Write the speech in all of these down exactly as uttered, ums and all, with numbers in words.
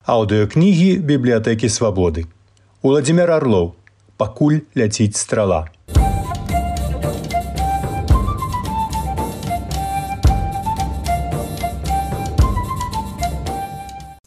Аўдыёкнігі бібліятэкі Свабоды. Уладзімир Арлоў. Пакуль ляціць страла.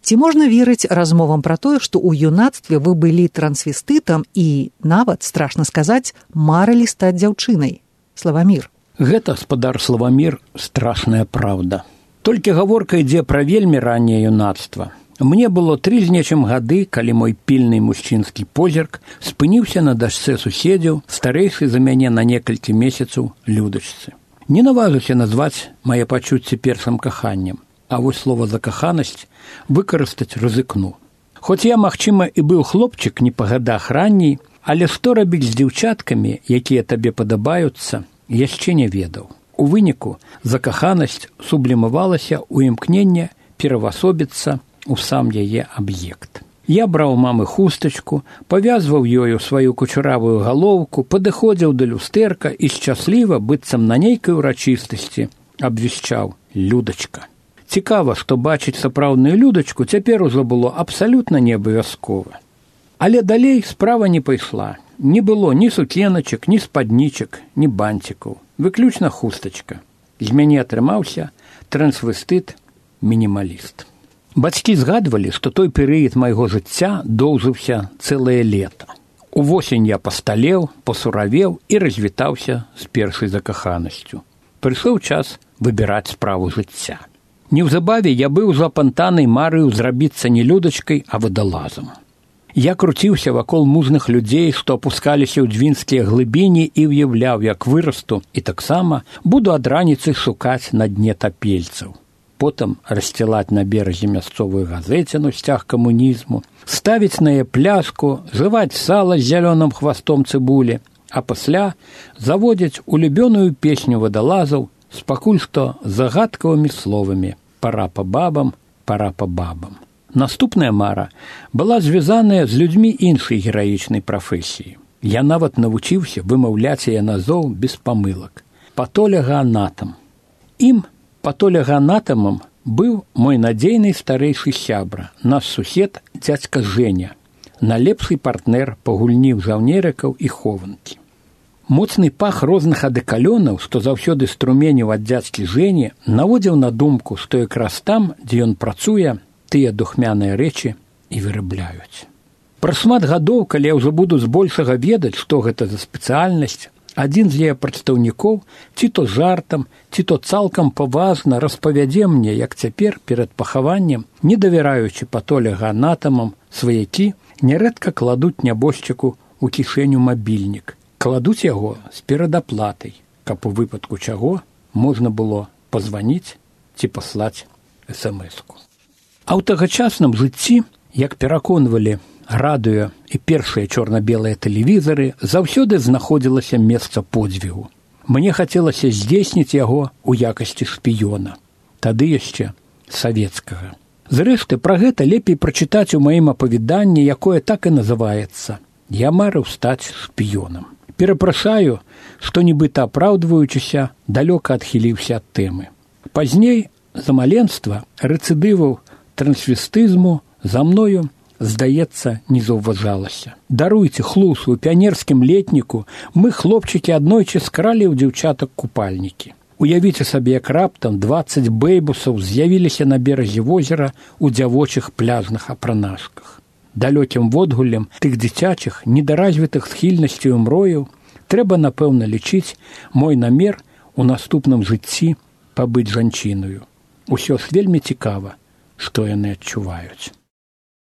Ці можна верыць размовам пра тое, што ў юнацтве вы былі трансвестытам і, нават, страшна сказаць, марылі стаць дзяўчынай? Славамір. Гэта, спадар Славамір, страшная праўда. Толькі гаворка ідзе пра вельмі ранняе юнацтва. Мне было тры з нечым гады, калі мой пільны мужчынскі позірк спыніўся на дачцэ суседзяў, старэйшай за мяне на некалькі месяцаў Людачцы. Не наважуся назваць мае пачуцці першым каханнем, а вось слова «закаханасць» выкарыстаць рызыкну. Хоць я, магчыма, і быў хлопчык не па гадах ранней, але што рабіць з дзяўчаткамі, якія табе падабаюцца, яшчэ не ведаў. У выніку закаханасць сублімавалася ў імкненне перавасобіцца у сам яе аб'ект. Я браў мамы хустачку, павязваў ёю сваю кучаравую галоўку, падыходзіў да люстэрка і шчасліва, быццам на нейкай урачыстасці, абвяшчаў: «Людачка». Цікава, што бачыць сапраўдную Людачку цяпер ужо было абсалютна неабавязкова. Але далей справа не пайшла. Не было ні сукеначак, ні спаднічак, ні бантикаў. Выключна хустачка. З мяне атрымаўся трансвестыт-мінімаліст. Бацькі згадвалі, што той перыяд майго жыцця доўжыўся цэлае лета. Увосень я пасталеў, пасуравеў і развітаўся з першай закаханасцю. Прыйшоў час выбіраць справу жыцця. Неўзабаве я быў запантанай марыў зрабіцца не Людачкай, а вадалазам. Я круціўся вакол мужных людзей, што апускаліся ў двінскія глыбіні і ўяўляў, як вырасту, і таксама буду ад раніцы шукаць на дне тапельцаў. Потым рассцілаць на беразе мясцовую газеціну сцяг камунізму, ставіць на яе пляшку, жываць сала з зялёным хвастом цыбулі, а пасля заводзіць улюбёную песню вадалазаў з пакуль што загадкавымі словамі «Пара па бабам, пара па бабам». Наступная мара была звязаная з людзьмі іншай гераічнай прафесіі. Я нават навучыўся вымаўляць яе назоў без памылак. Патолягаанатам. Ім, патолягаанатамам, быў мой надзейны старэйшы сябра, наш сусед дзядзька Жэня, найлепшы партнер па гульні ў жаўнерыкаў і хованкі. Моцны пах розных адэкалёнаў, што заўсёды струменіў ад дзядзькі Жэні, наводзіў на думку, што якраз там, дзе ён працуе, тыя духмяныя рэчы і вырабляюць. Пра шмат гадоў, калі я ўжо буду збольшага ведаць, што гэта за спецыяльнасць, адзін з яе прадстаўнікоў ці то жартам, ці то цалкам паважна распавядзе мне, як цяпер перад пахаваннем, не давяраючы патолягаанатамам, сваякі нярэдка кладуць нябожчыку ў кішэню мабільнік. Кладуць яго з перадаплатай, каб у выпадку чаго можна было пазваніць ці паслаць эс эм эску. А ў тагачасным жыцці, як пераконвалі радыё і першыя чорна-белыя тэлевізары, заўсёды знаходзілася месца подзвігу. Мне хацелася здзейсніць яго ў якасці шпіёна. Тады яшчэ савецкага. Зрэшты, пра гэта лепей прачытаць у маім апавяданні, якое так і называецца «Я марыў стаць шпіёнам». Перапрашаю, што нібыта апраўдваючыся, далёка адхіліўся ад тэмы. Пазней, за маленства, рэцыдываў трансвестызму за мною, здаецца, не заўважалася. Даруйце, хлусу, у піянерскім летніку мы, хлопчыкі, аднойчы скралі ў дзяўчатак купальнікі. Уявіце сабе, як раптам дваццаць бэйбусаў з'явіліся на беразе возера ў дзявочых пляжных апранашках. Далёкім водгуллем тых дзіцячых, недаразвітых схільнасцяў мрояў трэба, напэўна, лічыць мой намер у наступным жыцці пабыць жанчынаю. Усё ж вельмі цікава, што яны адчуваюць.